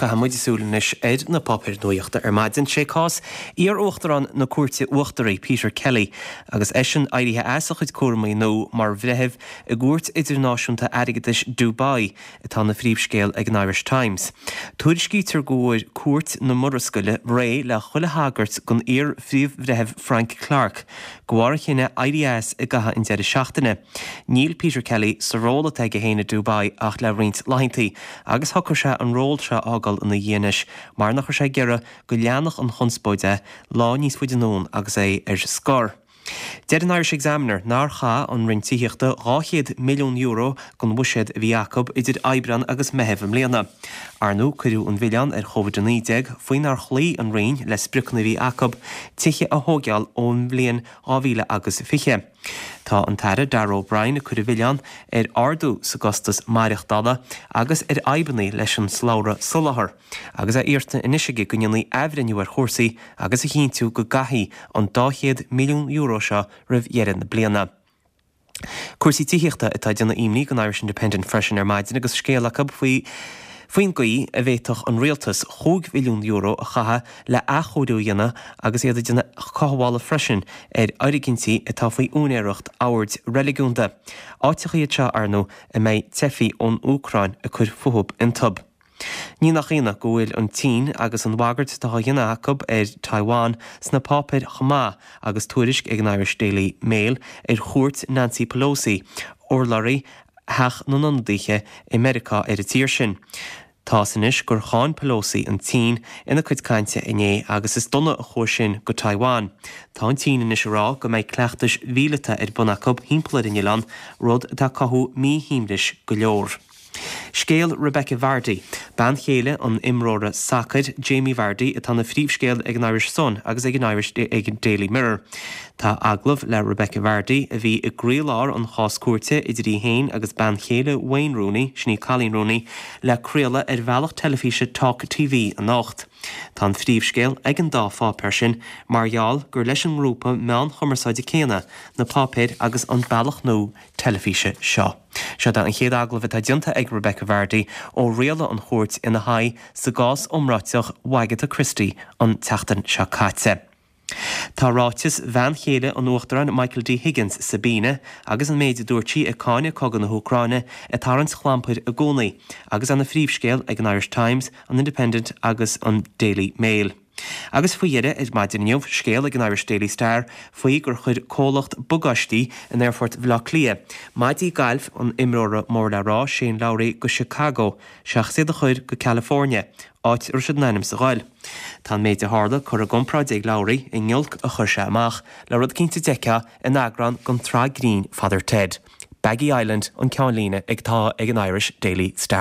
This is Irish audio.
Caithfidh muid súil anois ar na páipéir nuachta ar maidin. Sé cás iar-uachtarán na Cúirte Uachtaraí, Peter Kelly, agus eisean éirithe as a chuid cúramaí nua mar bhreitheamh i gCúirt Idirnáisiúnta Airgeadais Dubai, atá ina phríomhscéal ag an Irish Times. Tuairiscítear go bhfuair Cúirt na Murascaille réidh le chuile thagairt don iar-phríomh-bhreitheamh Frank Clarke de bharr a chinneadh éirí as i gcaitheamh an deireadh seachtaine. Níl Peter Kelly sa ról atá aige féin i Dubai ach le roinnt laethanta agus shocraigh sé an ról seo a fhágáil ina dhiaidh anois mar nach raibh sé ag iarraidh go leanfadh an chonspóid é lá níos faide anonn agus é ar scor. Deir an Irish Examiner nár chaith an Roinn Tithíochta €200 milliún den bhuiséad a bhí acu idir Aibreán agus Meitheamh i mbliana. Ar ndóigh cuireadh an mhilleán ar Covid-19 faoi nár chloígh an Roinn le spriocanna a bhí acu tithe a thóigeáil ón bhliain 2000 agus 20. Tá an tAire Darragh O'Brien ag cur an mhilleáin ar ardú sa gcostas maireachtála agus ar fhadhbanna leis an slabhra soláthair agus é iarrta anois aige go ndéanfaí athbhreithniú ar chúrsaí agus a chinntiú go gcaithfí an €200 milliún seo roimh dheireadh na bliana. Cúrsaí tithíochta atá ag déanamh imní don Irish Independent freisin ar maidin agus scéal acu faoi faoin gcaoi a bhféadfadh an rialtas €5 bhilliún a chaitheamh le athchóiriú a dhéanamh agus iad ag déanamh cothabhála freisin ar fhoirgintí atá faoi úinéireacht oird reiligiúnda. Áiteacha iad seo, ar ndóigh, a mbeidh teifigh ón Úcráin ag cur fúthu iontu. Ní nach ionadh go bhfuil an tSín agus an bhagairt atá á dhéanamh acu ar Taiwan sna páipéir chomh maith agus tuairisc ag an Irish Daily Mail ar chuairt Nancy Pelosi, urlabhraí Theach na nIonadaithe i Meiriceá ar an tír sin. Tá's anois gur cháin Pelosi an tSín ina cuid cainte inné agus is dona a chuaigh sin go Taiwan. Tá an tSín anois ag rá go mbeidh cleachtais mhíleata ar bun acu thimpeall ar an oileán, rud atá ag cothú míshuaimhnis go leor. Scéal Rebekah Vardy, bean chéile an imreora sacair Jamie Vardy atá ina phríomhscéal ag an Irish Sun agus ag an Irish ag an Daily Mirror. Tá agallamh le Rebekah Vardy, a bhí i gcroílár an chás cúirte idir í féin agus bean chéile Wayne Rooney, sin í Coleen Rooney, le craoladh ar bhealach teilifíse Talk TV anocht. Tá an phríomhscéal ag an dá pháipéar sin mar gheall gur leis an ngrúpa meán chumarsáide céanna na páipéir agus an bealach nua teilifíse seo. Seo é an chéad agallamh atá déanta ag Rebekah Vardy ó rialaigh an chúirt ina haghaidh sa gcás iomráiteach Wagatha Christie an tseachtain seo caite. Tá ráiteas bhean chéile an Uachtaráin Michael D Higgins, Sabina, agus an méid a dúirt sí ag cáineadh cogadh na hÚcráine ag tarraingt clampair i gcónaí agus é ina phríomhscéal ag an Irish Times, an Independent agus an Daily Mail. Agus faoi dheireadh ar maidin inniu, scéal ag an Irish Daily Star faoi gur chuir comhlacht bagáistí in Aerfort Bhaile Átha Cliath maidí gailf an imreora mór le rá Shane Lowry go Chicago seachas iad a chur go California, áit a raibh siad in ainm is a ghoil. Tá an méid a tharla curtha i gcomparáid ag Lowry i ngiolc a chuir sé amach le rud eicínt a d'fheicfeá in eagrán den tsraith grinn Father Ted. Baggy Island an ceannlíne atá ag an Irish Daily Star.